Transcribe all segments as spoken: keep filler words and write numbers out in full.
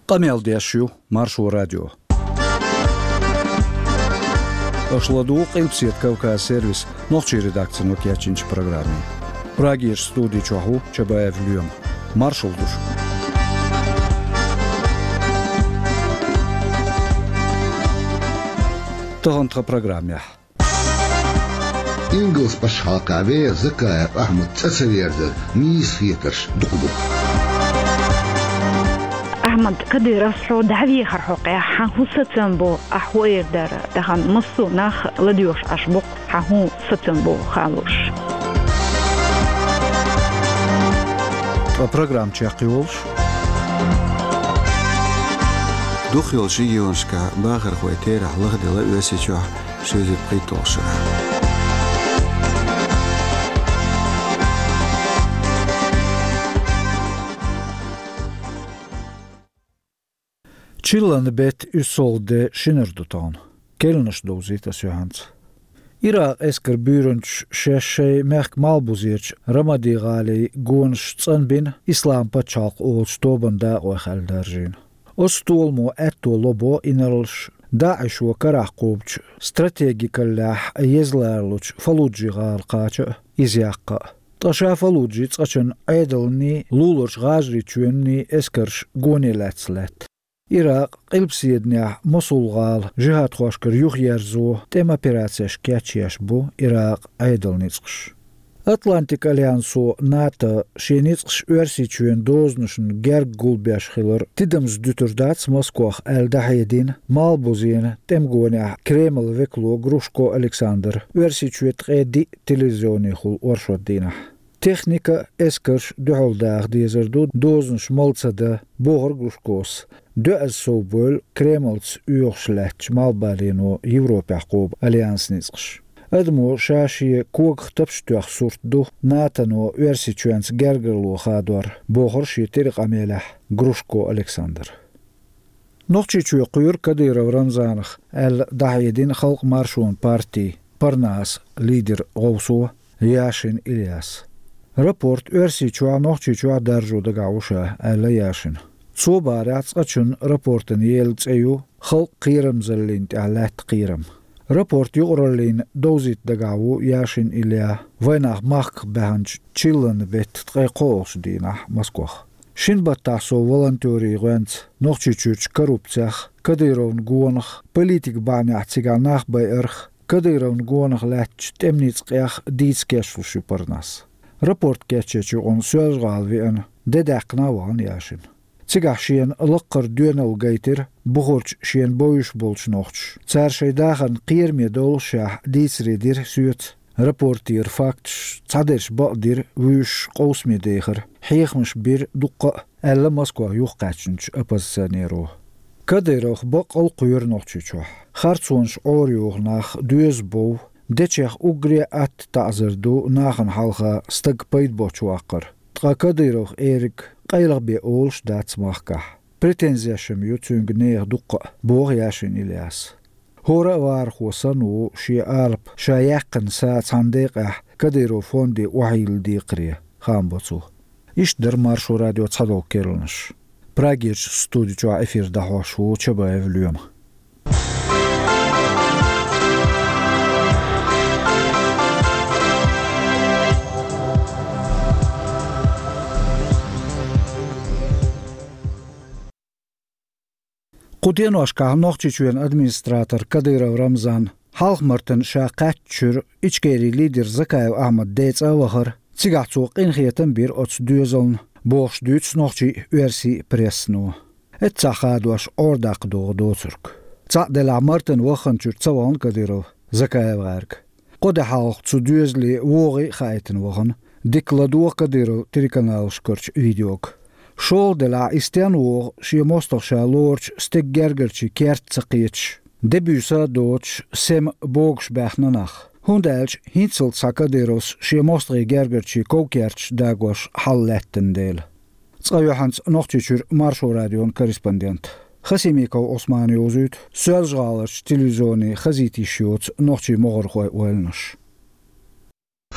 Къамел деш ю Маршо радио. Аша ладугӀу Къилбседа Кавказ сервисан нохчийн редакцино кечйинчу программе. Прагерчу студи чохь ву Чабаев Лоьма. Маршалла ду шуьга. Тахана тхан программехь. Ингалсан пачхьалкхехь вер Закаев Ахьмадан цӀа ца верзар нийса хетарш дукха бу. Ахьмад Кадыровс хьо дӀавехар хьокъехь, хьан хӀун сацам бу, ахь хӀун эр дара, тахана массо а нах ладоьгӀуш Ӏаш бу-кх, хьан хӀун сацам бу хаа лууш. Ткъа программа чекхйолуш. Дукхахйолчу регионашкахь бахархойн терахь лахделла Оьрсийчохь шовзткъе пхийтталгӀачу шарахь. Чиллан беттан уьссалгӀа де шинара ду тахана. Керланаш довзуьйту ас юьхьанца. Иракъан эскаран буьйранчаш шаьш шайн мехкан малхбузерчу Рамади-гӀалин гонаш цӀанбина, Ислам пачхьалкх олучу тобанан дакъойх аьлла даржийна. Оцу толамо аьтто ло бо инарлаш ДАИШо карахь кхобучу стратегикаллехь еза ларалучу Фаллуджи-гӀала кхача а, иза яккха а. Ткъа ша Фаллуджин цкъачунна Ӏедалний, луларчу ГӀажарийчоьнний эскарш гоне лаьцна лаьтта. Иракъан къилбаседанехь Мосул-гӀала жихӀадхошкара юхаерзо тӀеман операцеш кечъеш бу Иракъан Ӏедалан ницкъаш. Атлантикан альянсо НАТО шен ницкъаш Оьрсийчоьнан дозанашна герга гулбеш хилар тидамза дуьтур дац Москох аьлла дӀахьедина, малхбузенан тӀеман гонехь Кремлан векало Грушко Александра Оьрсийчоь ткъе диъ телевизионехула оршот дийнахь. Техника а, эскарш а дуьхьал даха дезар ду, дозанаш мала ца дан, бохура Грушкос. Доьазза совбевлла Кремлца оьхуш лаьттачу малхбалено Европехь кхобу альянсан ницкъаш. Адамо ша шен когах тапча тоьхна сурт ду НАТОно Оьрсийчоьнца гергарло хадор, бохура шен тиран къамелехь Грушко Александра. Нохчийчоь кхоьру Кадыров Рамзанах аьлла дӀахьедина Халкъан маршонан партин Парнас лидеран гӀовсо Яшин Ильяс. Рапорт Оьрсийчохь а, Нохчийчохь а даржо дагахь ву ша, аьлла Яшина. Цо бахарехь, цкъачунна рапортана елла цӀе ю «Халкъан кхерамзаллина тӀехь лаьтта кхерам». Рапорт юкъараллина довзийта дагахь ву Яшин Илья вайнах махках баьхначу чиллан беттан ткъе кхоалгӀачу дийнахь Москох. Шина баттахь со волонтерийн гӀоьнца Нохчийчуьрчу коррупцех, Кадыровн гонах, политикан бахьанехь цигахь нах байарх, Кадыровн гонах лаьттачу тӀеман ницкъех дийца кечлуш ю Парнас. Рапорт кечъечу юкъана Соьлжа-ГӀала веана, де даьккхина а вахана Яшин. Цигахь шена лаккхара доьналла гайтира бухарчу шена бовзуш болчу нохчаша. Цара шайн дахарна кхераме доллушехь дийцаре дира соьца. Рапортера факташ цхьадерш бакъдира, вуьйш къовсаме дехира, хьехамаш бира дуккха а, аьлла Москох юхакхаьчначу оппозиционеро. Кадыровх баккъалла кхоьру Нохчийчохь. Харцонаш Ӏорайоху нах доьза бов, дечех уггаре а атта таӀзар ду нахана хьалха стаг пайда боцуш ваккхар. Ткъа Кадыровх эриг къайлаха бен олуш дац махкахь. Претензеш-м ю цуьнга нехан дуккха а, боху Яшин Ильяс. ХӀора а вахархо санна ву шен алапа ша яьккхина са цхьана декъехь Кадыров фонде охьайилла декхаре, хаам бо цо. Иштта дара Маршо радион цхьадолу керланаш. Прагерчу студи чохь эфир дӀахьош ву Чабаев Лоьма. Кху деношкахь Нохчийчоьнан администратор Кадыров Рамзан Хьалха-Мартан ша кхаьчначуьра Ичкерин лидер Закаев Ахьмад ден цӀа а вахара, цигахь цо къинхетам а бира оцу доьзална, бохуш дуьйцу нохчийн а, оьрсийн а прессано. Эццахь хадош Ӏордаккха догӀу доцург. Цхьаъ делахь, Мартан вахханчуьра ца вахана Кадыров Закаев гӀаьрга. Кхо де хьалха цу доьзале вогӀий а хаийтина вахана, дика ладогӀа Кадыров телеканалашкарчу видеога. ШолгӀа делахь, и стенна вогӀу шен мостагӀа ша лоручу стеган гергарчийн керта ца кхеташ, де буьйса а доцуш, сема богуш баьхна нах. ХӀунда аьлча хӀинццалц цхьа Кадыровс шен мостагӀийн гергарчийн ков-керташ дагош хьал лаьттина дела. Цкъа юьхьанца Нохчийчуьра Маршо радион корреспондент Хасимиков Ӏусмана йовзуьйту Соьлжа-ГӀаларчу телевизионе хазийта йиш йоцу нохчийн могӀархойн ойланаш.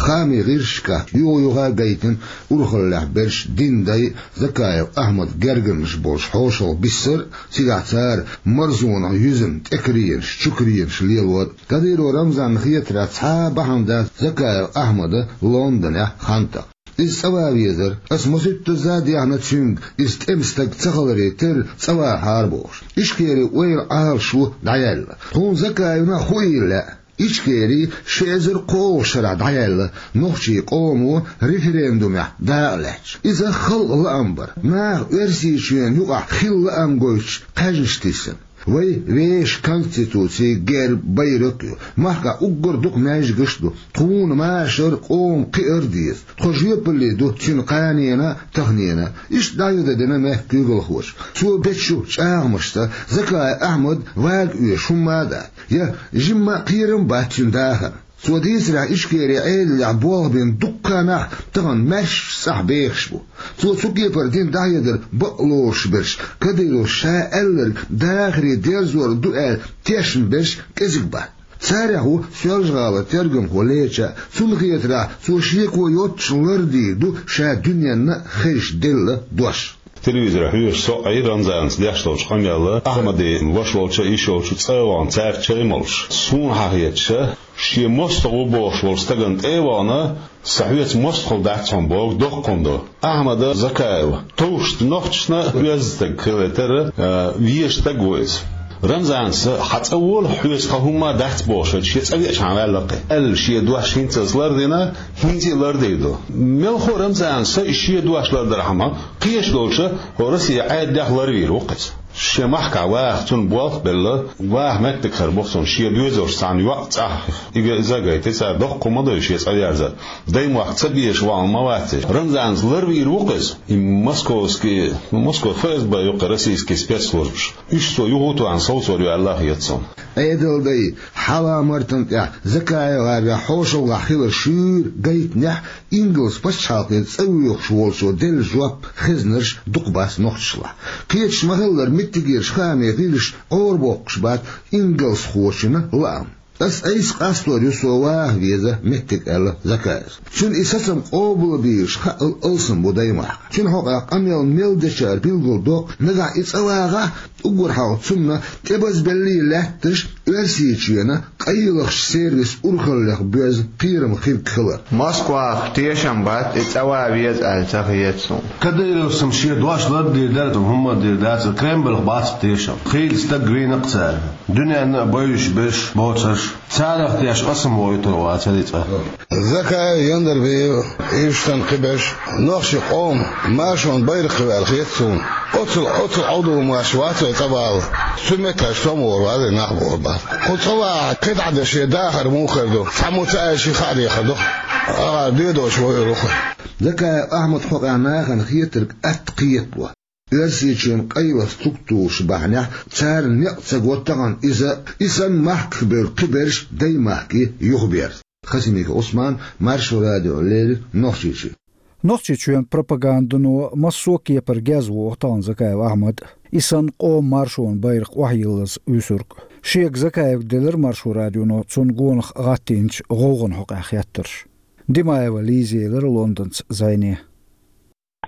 Хаамийн гӀирсашкахь юха-юха а гайтина урхаллехь берш дин дай Закаев Ахьмадан гергарнаш болчу хьошалгӀа биссар а, цигахь цара марзонах юьзна тӀекаренаш, чукаренаш лелор а. Кадыров Рамзанна хетарехь, цхьа а бахьана дац Закаев Ахьмадан Лондонехь хан такха. Иза цӀа ван везара, ас масийттазза а дехна цуьнга, иза тӀеман стаг ца хиларе терра цӀа вахьара бохуш. Ичкерин ойла Ӏалашо дӀаяьлла. Тхуна Закаевна а хуий лаьа. Ичкери ши эзар кхоалгӀачу шарахь дӀаяьлла, нохчийн къомо референдумехь дакъа лаьтташ. Иза халкъан лаам бара, наха Оьрсийчоьнна юкъахь хилла лаам гойтуш кхаьжнаш тиссина. Вай вешан Конституци, герб, байракх а ю. Махкахь уггар дукха маьждигаш а ду. Тхуна машар а, къоман кхиар а деза. Тхо жоьпалле ду цуьнан кханенна а, таханенна а. Иштта дӀахьедар дина мехкан куьйгалхочо. Цо бечу чӀагӀамашца Закаев Ахьмад вага оьшу хӀумма а дац, я жимма а кхерам а бац цуьнан дахарна. Цо дийцарехь, Ичкерин Ӏедалехь болх бина дуккха а нах тахана маьршачу цӀахь бехаш бу. Цо цу кепара дина дӀахьедар бакъ лоруш берш, Кадыровс ша аьлларг дахаре дерзор ду аьлла тешна берш кӀезиг бац. Царех ву Соьлжа-ГӀалан тергамхо Леча а. Цунна хетарехь, цо шеко йоццуш лардийр ду ша дуьненна а хезаш делла дош. Телевизоре хьоьжуш со а Ӏийра Рамзанца деш долчу къамелла, Ахьмадан ваша волчу а, йиша йолчу а цӀа а вахана, цаьрца чай а молуш. Суна хьахеташ, шен мостагӀа ву бохуш волчу стагана тӀе а вахана, сан хьоьца мостагӀалла дац хьуна бохург доккха хӀума ду. Ахьмад Закаев товш нохчашна а оьзда стаг хилийтар а, а, везаш стаг ву иза. Рамзанца сан хьан цӀа вола, хьоьца тхан хӀумма а дац бохуш, шен цӀа веача хьан ваьлла кхин аьлла, шен дош хӀинца а лардина, хӀинца а лардийр ду. Мелхо а Рамзанца сан шен дош лардархьама, кхечу долчу хӀо Россия Ӏедалех ларвийр ву-кх иза. Шен махкахь ваха цунна болх а белла, ваха меттиг хир бу-кх цунна, шен доьзалш цхьана йоӀ цӀахь ига иза а гайта, цара доккха хӀума ду шен цӀа верзар. Даймохк ца безаш вахана ма вац иза. Рамзанца ларвийр ву-кх иза. И московский, ну, Москва ФСБ ю-кх, российский спецслужбаш. Уьш цо юха а тоьхна совцор ю аьлла а хета суна. Ӏедалан дай, хьала-мартана тӀехь Закаев гӀарвехь хьошалгӀахь хилар шуьйра гайтинехь, Ингалс пачхьалкхе цӀа воьхуш волчо делла жоп хезнарш дукха бац нохчашлахь. Кхеташ ма-хиллара, меттигерчу хаамийн гӀирсаша Ӏорабоккхуш бац ингалсхочун лаам. Ас айса къастор ю, со ваха веза меттиг, аьлла Закаевс. Цуьнан и сацам къобалбийраш хаъал алсам бу даймахкахь. Цуьнан хьокъехь къамел мел дечара билгалдоккху, нагахь и цӀа вагӀахь, уггар хьалха цунна тӀебазбеллий лаьтташ Оьрсийчоьнан къайлахчу сервисан урхаллех боьзна кхерам хирг хилар. Москвахь тешам бац и цӀа ван веза аьлла ца хета суна. Кадыровс-м шен дош лардийр дара, хӀумма а дийр дацара, Кремльх бац-кх тешам. Хийла стаг вийна-кх цара. Дуьненна а бовзуш берш боцурш. Царах тешаш ас-м воуьйтур вацара и цӀа. Закаев Яндарбиев, иштта кхиберш, нохчийн къоман маршонан байракх ю аьлла хета суна. Оццул, оццул Ӏовдал марш вац вай цӀа вала. Цу меттехь со ма вара вазий нах бохург бац. Кху цӀа вагӀахь кхидӀа дан шен дахар муха хир ду? Цхьаммо ца аьлча, хаа дехар ду-кх. АгӀор доьдуш вуьйр ву-кх. Закаев Ахьмадан хьокъехь нахана хетарг атта кхетало. Оьрсийчоьнан къайлаха структураш бахьанехь царна некъ ца го тахана иза, и санна махках бевлла кхиберш даймахке юхаберза. Хасимиков Ӏусман, Маршо радио, леррина Нохчийчуьра. Нохчийчоьнан пропагандано массо а кепара геза воху тахана Закаев Ахьмад, и санна къоман маршонан байракх охьайиллаза вуьсург. Шега Закаевга делира Маршо радионо цунна гонах гӀаттийначу гӀовгӀан хьокъехь хеттарш. Димаева Лиза елира Лондонца зӀене.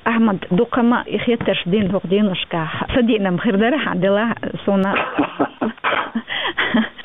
Ахьмад, дукха ма и хеттарш дина хӀокху деношкахь. Сан деанам хир дара хьан делахь суна.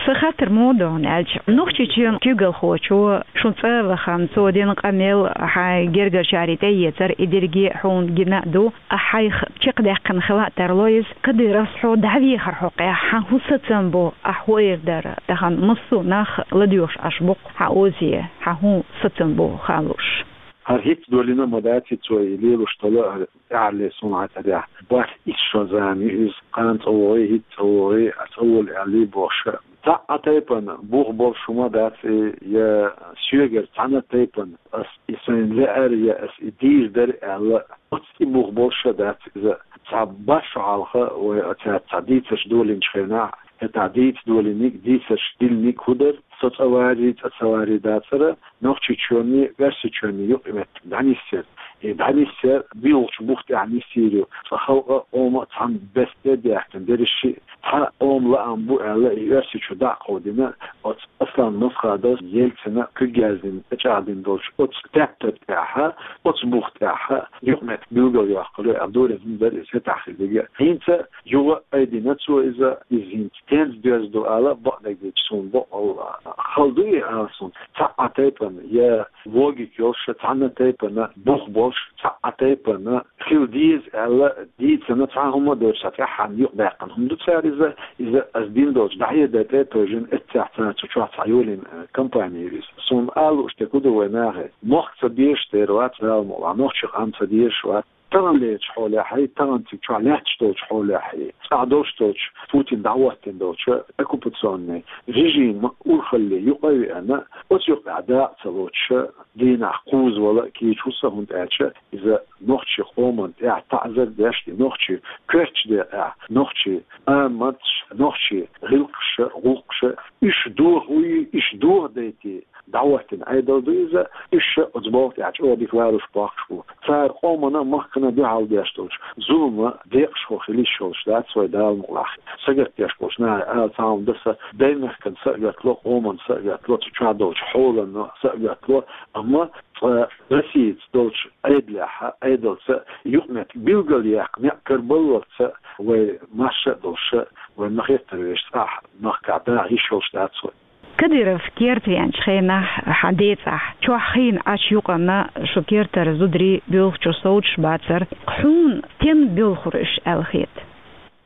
Сан хаттар муха ду аьлча, Нохчийчоьнан куьйгалхочо шун цӀа а вахана, цо дина къамел, хьайн гергарчаре тӀеэцар, и дерриге а хьуна гина а ду, ахь хьайх чекхдаьккхина хила а тарло иза. Кадыровс хьо дӀавехар хьокъехь, хьан хӀун сацам бу, ахь хӀун эр дара, тахана массо а нах ладоьгӀуш Ӏаш бу-кх хьан озе, хьан хӀун сацам бу хаалуш? ХӀара хӀинца долийна а ма дац, хӀинца вай лелош долу а, хӀара тӀаьххьарлера суна хьан цӀарехь. БархӀ итт шо зама ю иза, кхана цӀа вогӀий, хӀинца цӀа вогӀий, а цӀа волу аьллий бохуш. Цхьа а тайпана бух болуш хӀума дац и, я соьгара цхьана а тайпана ас и сайна лаьара, я ас и дийр дара аьлла, оццу и бух болуш а дац иза. Цхьа бархӀ шо хьалха вай оцаьрца цхьа дийцарш долийначу хенахь, хӀетахь дийца долийниг, дийцарш диллиниг хӀун дара? Со цӀа варий, цӀа ца варий дацара, Нохчийчоьнний, Оьрсийчоьнний юкъаметтиг дӀанисъяр. И дӀанисъяр, билгӀача бух тӀехь нисйийр ю. Цкъа халкъ а, къам а цхьана бесса де а даьхкина, берриш а цхьа къам лаам бу аьлла, и Оьрсийчу дӀа а кховдийна, оцу Аслан Масхадовс, Ельцина куьг яздина, тӀечӀагӀдина долчу оцу тептар тӀехь, оцу бух тӀехь юкъаметтиг билгалйоккхур ю аьлла, дурезна дара иза хӀетахь хилларг. ХӀинца юха а айдина цо иза, иза хӀинца стенца доьзна ду ала, бакъдерг дийцича, суна бакъволу хала ду и ала суна. Цхьа а тайпана я логика йолуш, цхьана а тайпана бух болуш, цхьа а тайпана хила деза аьлла дийцина цхьа а хӀума а доцуш, цхьа тӀаьххьана юкъадаьккхина хӀума ду цара иза. Иза аса дина долчу дӀахьедар тӀе а тевжина, эццехь цара цу чохь цхьа йолийна, э, компани ю иза. Суна ала лууш дерг хӀун ду вайн нахе? Мохк ца дезаш дера вац, Дала мукъ лахь, нохчийн къам ца дезаш вац. Таханлерчу хьолехь а, тахана цига чохь лаьтташ долчу хьолехь а, цӀахь долуш долчу, Путина дӀахӀоттийна долчу оккупационный режиман урхалле юкъа а веана, оцу юкъахь дакъа ца лоцуш, дийнахь кхузза вала кийча хӀусса, хӀунда аьлча иза нохчийн къомана тӀехь таӀзар деш, и нохчийн коьртачу декъехь нохчийн аматаш, нохчийн гӀиллакхаш, гӀуллакхаш, уьш дохуьйтий, уьш дохадайтий дӀахӀоттийна Ӏедал ду иза, уьш оцу балха тӀехь чӀогӀа дика валуш бохкуш бу. Цара къомана а, махкана а дуьхьал деш долчу зуламан декъашхо хила йиш йолуш дац вай, Дала мукъ лахь. Сагатдеш болчу наха ала цхьа хӀума дан сан, даймехкан сагатдо, къоман сагатдо, цу чохь долчу хьолан сагатдо, амма цкъа Россица долчу Ӏедалехь а, Ӏедалца а юкъаметтиг билгалъяккха некъ карабаллалц а вай, марша а долуш, вайн ма-хеттара вешан цӀахь махкахь даха йиш йолуш дац вай. Кадыров керта веанчу хенахь хьан ден цӀахь чохь хийна Ӏачу юкъанна шу кертара зударий боьлхучух совцуш бацара. Хьуна стенна боьлхура уьш аьлла хета?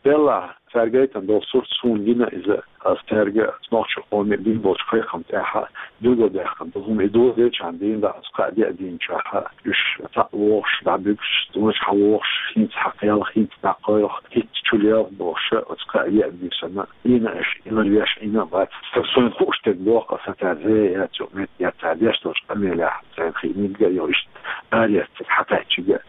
Делахь, цаьрга гайтина долу сурт суна гина иза, аса цаьрга, нохчийн къоме бина болчу кхайкхам тӀехь билгалдаьккхина ду хӀума. И доладелчахьана дийна дӀа оцу кхаа де а дийначохь, уьш цхьаъ вогӀуш дӀабуьгуш, цӀанаш хьан вогӀуш, хӀинца хьан кхелха, хӀинца дӀакхойкху, хӀинца чу лелха бохуш, оцу кхаа е а буьйсанна, Ӏийна аша, илар веш Ӏийна а бац. Сан, суна хууш дерг боху аса, цара зен яц юкъаметтиг, я цара деш долчу къамелехь, царна хиъниг а йо, иштта арецциг хьакхаьччиг а.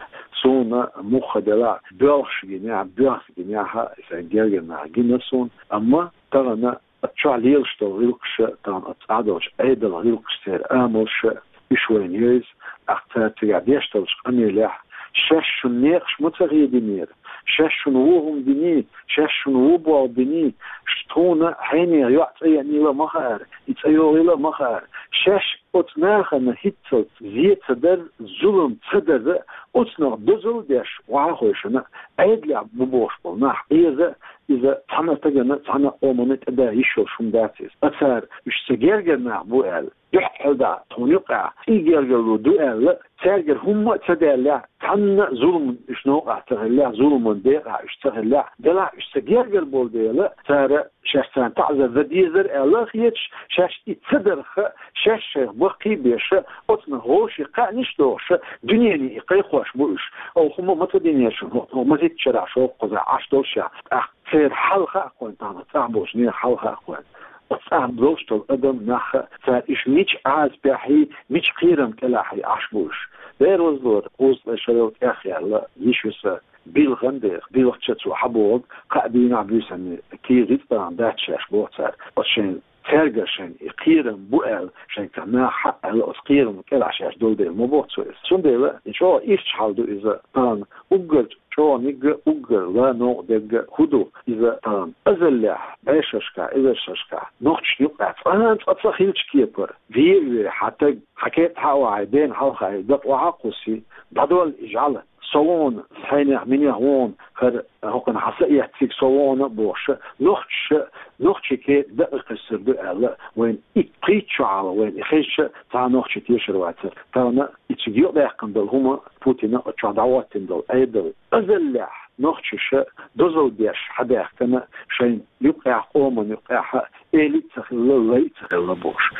Суна мухха делахь, боьлхуш гинехь, боьхса гинехь а, сайн гергара нах гина суна, амма тахана оцу чохь лелаш долу гӀиллакхаш, тахана оцу цӀахь долчу Ӏедалан гӀиллакхаш, церан амалш, уьш вайна евза, тӀаккха цара цигахь деш долчу къамелехь, шаьш шуна некъаш ма ца хединера, шаьш шуна вон хӀума диний, шаьш шуна вон болх биний, ш-, тхуна хьенехан йоӀ цӀа еанийла а ма хаьара, и цӀа йогӀийла а ма хаьара. Шаьш оцу нахана хӀинццалц зен ца дар, зулам ца дар, оцунах дозалла деш, вахьа хойшана, Ӏедалехь бу бохуш болу нах Ӏеза, иза цхьана а стагана, цхьана а къомана тӀеда йиш йолуш хӀума дац иза. Ткъа цара уьш сан гергара нах бу аьлла, дуьхьал дӀа тхуна юкъахь и гергарло ду аьлла, цаьргара хӀумма а ца даьллехь, цхьанна а зулам уьш новкъахь ца хиллехь, зуламан декъахь уьш ца хиллехь, делахь уьш сан гергара болу дела, цара шаьш царна таӀзар дан дезара аьлла а хеташ, шаьш и ца дарх, шаьш шайх баккхий а беш, оцунах вовшийн кхаьънаш а дохуш, дуьнене и кхайкхош бу уьш. Оха хӀума ма ца динера шуна, хӀокху ма-зитта шарахь шовкхузахь Ӏаш долуш а, тӀаккха церан хьал хаьа кхойна, тахана цӀахь болчу нехан хьал хаьа кхойна. Оцу цӀахь долуш долу адам нах, цара уьш мича Ӏазапехь, мича кхерам кӀелахь Ӏаш бу уьш. Дера вазлора, кхузткъе шарал тӀехъяьлла йиш ю сан, билггал дера, билггал чу цо хьабогӀург, кхаа дийнахь, буьйсанна кийра рицкъа тахана дац шаьш боху цара. Оцу шайн цаьргара шайна и кхерам бу аьлла, шайна цхьа наха хьаъ аьлла, оцу кхерам кӀелахь шаьш долу дела ма боху цо иза. Цундела и чӀогӀа ирча хьал ду иза, тахана уггар чӀогӀаниг а, уггар ла новкъа дерг а хӀун ду иза, тахана азаллехь, бӀешерашкахь, эзаршашкахь нохчашна юкъахь цкъа а цкъа ца хилча кепара, вен а вей, хьан таг, хьан кетӀа хьа а вахьий, дена хьалха дакъа охьа а кхуссий, дӀадолла и жӀаьла. Со вон, хьенех, минех вон, хӀара хӀокхуьнан хьан са эцциг со вон а бохуш, нохчаша, нохчийн кетӀа дакъа кхуьссур ду аьлла, вайна и кхийчча хьала, вайна и хезча, цхьа а нохчи тешар вацара. Тахана и цига юкъадаьккхина долу хӀума, Путина оцу чохь дӀахӀоттийна долу Ӏедал, азаллехь нохчаша дозалла деш хьадаьхкина, шайн юкъехь, къоман юкъехь, эли а ца хилла, лай а ца хилла бохуш.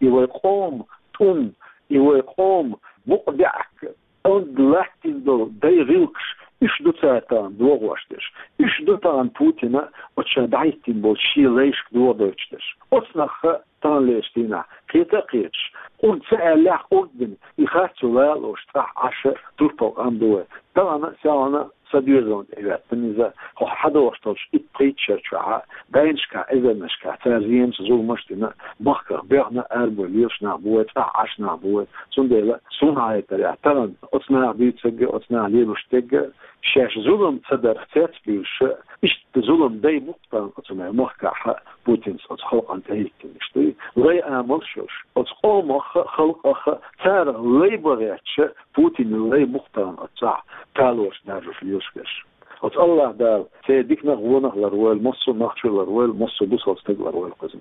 И вай къоман тӀум, и вай къоман букъ-баьӀка, онда латтийна долу дай гӀиллакхаш, уьш ду цара тахана догӀош дерш. Уьш ду тахана Путина оцу ша дӀахӀиттийна болчу шен лайшка догӀа дойтуш дерш. Оцу нахах таханлерчу дийнахь кхета а кхеташ, къурд ца аьллехь, къурд дина, и харц йолу ала лууш цӀахь Ӏаш турпал къам бу вай. Тахана а, сехьана а сан доьзална тӀе а веттина иза, хӀокху хьадогӀуш долчу итт-пхийтта шарчохь а, дайнашкахь, эзарнашкахь, цара зенаш, зуламаш а дина, махках боьхна, арабевлла лелаш нах бу вай, цӀахь Ӏаш нах бу вай. Цундела суна хетарехь, тахана оцу наха дуьйцург а, оцу наха лелош дерг а, шаьш зулам ца дарх цецбуьйлуш а, иштта зулам дай бу-кх тахана оцу мел махкахь а Путинца оцу халкъана тӀехӀиттинарш дуй, лай амалш йолуш. Оцу къомах а, халкъах а царах лай бан гӀерташ а, Путинан лай бу-кх тахана оцу цӀахь талораш, даржош лелаш берш. Оцу АллахӀ Дала церан диканах а, вонах а лардойла, массо а нохчо а лардойла, массо а бусалба стаг а лардойла кхуза.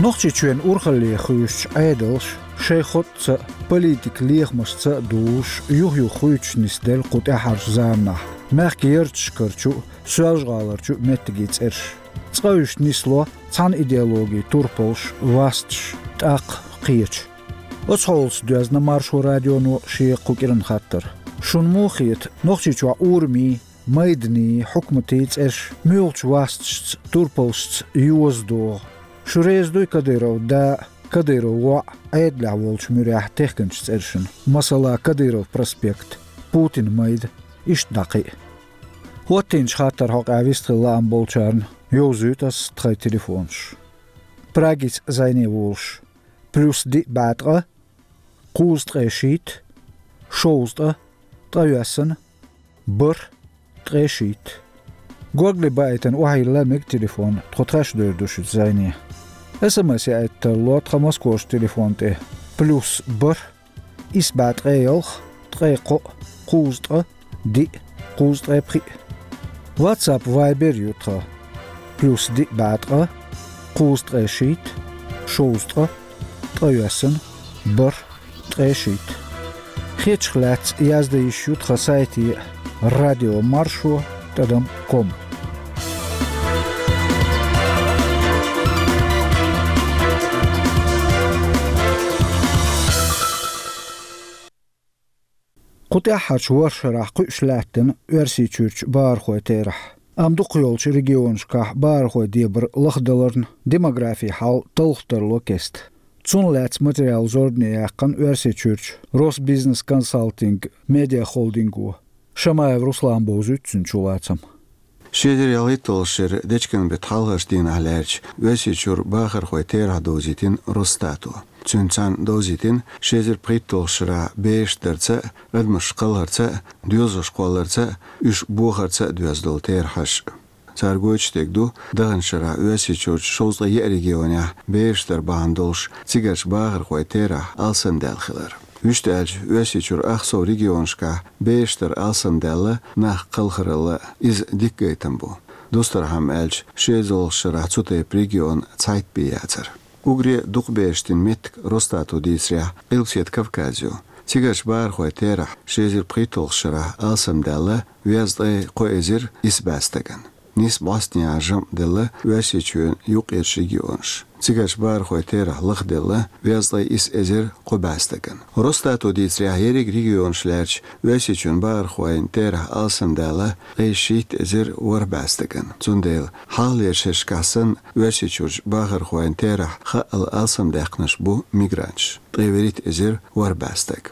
Нохчийчоьнан урхалле хуьйшучу Ӏедалша шайн хотӀца а, политикан лехамашца а дузуш, юх-юха хуьйцуш нисделла кху тӀаьххьарчу заманахь мехкан ярташкарчу а, Соьлжа-ГӀаларчу а меттигийн цӀераш. Цкъа уьш нисло цхьана идеологин турпалш, васташ, тӀаккха кхечу. Оцу хьолаца доьзна Маршо радионо шен кху кӀиран хаттар. Шуна муха хета, Нохчийчохь урамийн, майданийн, хьукматийн цӀераш муьлхачу васташца, турпалшца йоза догӀу? Шу реза дуй Кадыровн да а, Кадыровн воӀ а Ӏедалехь волчу муьрехь техкинчу цӀершна, масала, Кадыров проспект, Путинан майда, иштта дӀа кхин а? ХӀоттийначу хаттаран хьокъехь вистхила лаам болчарна йовзуьйту ас тхайн телефонаш. Прагица зӀене волуш: плюс диъ бӀе ткъа, кхузткъе шийтта, шовзткъа, ткъайоьсна, бархӀ, ткъе шийтта. Горгали баийтина охьайилла мега телефон, тхо тхаьш девр ду шуьца зӀене. СМС яийта тарло тхан Москохчу телефон тӀе: плюс бархӀ, исс бӀе ткъе ялх, ткъе кхоъ, кхузткъа, диъ, кхузткъе пхиъ. WhatsApp, Viber ю тхан: плюс диъ бӀе ткъа, кхузткъе шийтта, шовзткъа, ткъайоьсна, бархӀ, ткъе шийтта. Хетачух лаьцна яздан йиш ю тхан сайте: радио маршо тӀадам ком. Кху тӀаьххьарчу ворхӀ шарахь кхуьуш лаьттина Оьрсийчуьрчу бахархойн терахь. Амма дукхахйолчу регионашкахь бахархойн дебар лахдаларна, демографин хьал талха тарло кеста. Цунна лаьцна материал зорбане яьккхина Оьрсийчуьрчу Росбизнес-консалтинг медиахолдинго. Шамаев Руслана бовзуьйту цуьнан чулацам. Ши эзар ялхитталгӀа шеран дечкен беттан хьалхарчу дийнахь лаьрча Оьрсийчуьра бахархойн терахь довзийтина Росстато. Цуьнца цхьаьна довзийтина ши эзар пхийтталгӀачу шарахь бераш дарца а, адамаш кхалхарца а, доьзалш кхолларца а, уьш бохарца а доьзна долу терахьаш. Цара гойтуш дерг ду даханчу шарахь Оьрсийчуьрчу шовзткъе еа регионехь бераш дар бахьана долуш цигарчу бахархойн терахь алсамдаьлла хилар. Вуьшта аьлча, Оьрсийчуьра ах сов регионашкахь бераш дар алсамдаьлла нах кхалхаралла, иза дика гайтам бу. Дустархьама аьлча, ши эзарлагӀчу шарахь цу тайпа регион цхьайтта бен яцара. Уггаре дукха бераш дина меттиг, Росстато дийцарехь, Къилбаседа Кавказ ю. Цигарчу бахархойн терахь ши эзар пхийтталгӀачу шарахь алсамдаьлла везткъе кхо эзар исс бӀе стагана. Нийса бӀостанехьа жамӀ делла Оьрсийчоьнан юккъерчу регионаш. Цигарчу бахархойн терахь лахделла везткъе исс эзар кхо бӀе стагана. Росстато дийцарехь, ерриг регионаш лаьрча Оьрсийчоьнан бахархойн терахь алсамдаьлла ткъе шийтта эзар ворхӀ бӀе стагана. Цундела хьалхалерчу шерашкахь санна, Оьрсийчуьрчу бахархойн терахь хаъал алсамдаьккхинарш бу мигранташ, ткъе вуьрхӀитта эзар ворхӀ бӀе стаг.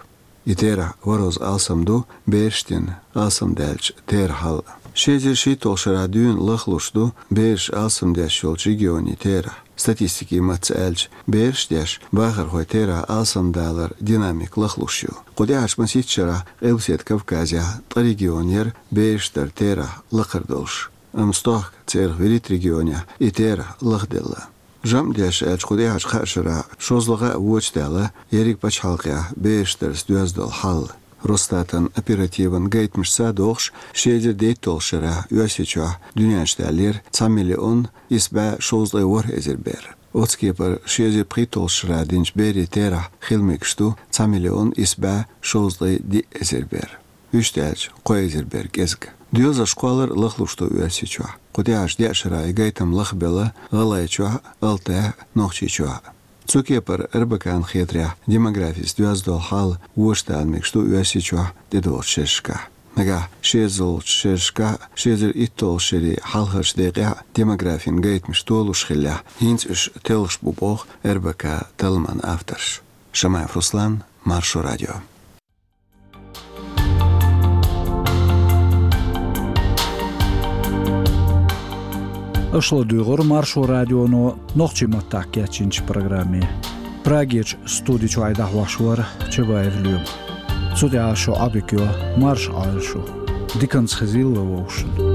И терахь ворхӀазза алсам ду бераш дина алсамдаьллачу терахьал а. Ши эзар шийтталгӀачу шарахь дуьйна лахлуш ду бераш алсамдеш йолчу регионийн терахь. Статистикин маттаца аьлча, бераш деш бахархойн терахь алсамдаларан динамика лахлуш ю. Кху тӀаьхьарчу масийтта шарахь Къилбаседа Кавказехь ткъа регион яра бераш даран терахь лакхара долуш. Амма стохка церах вуьрхӀитта регионехь и терахь лахделла. ЖамӀ деш аьлча, кху тӀаьхьарчу кхаа шарахь шозлагӀа а вочу даьлла ерриг пачхьалкхехь бераш дарца доьзна долу хьал. Росстатон оперативан гайтамашца а догӀуш, ши эзар дейтталгӀачу шарахь Оьрсийчохь дуьнен чу даьллера цхьа миллион исс бӀе шовзткъе ворхӀ эзар бер. Оцу кепара ши эзар пхийтталгӀачу шарахь динчу берийн терахь хила мегаш ду цхьа миллион исс бӀе шовзткъе диъ эзар бер. Вуьшта аьлча, кхо эзар бер кӀезиг. Доьзалш кхоллар а лахлуш ду Оьрсийчохь. Кху тӀаьхьарчу деа шарахь и гайтам лахбелла ГӀалгӀайчохь а, Алтайхь а, Нохчийчохь а. Цу кепара РБК-н хетарехь, демографица доьзна долу хьал вочу тайпанаш ду Оьрсийчохь тӀедогӀучу шерашкахь. Нагахь ши эзарлагӀчу шерашкахь ши эзар итталгӀачу шерийн хьалхарчу декъехь демографин гайтамаш толуш хиллехь, хӀинца уьш телхаш бу боху РБК-н талламан авторша. Шамаев Руслан, Маршо радио. Аша ладуьйгӀира Маршо радионо нохчийн маттахь кечйинчу программе. Прагерчу студи чуьра дӀахьош вара Чабаев Лоьма. Цу тӀехь шун Ӏадика йо, марша Ӏойла шу. Диканца хезийла вовшашна.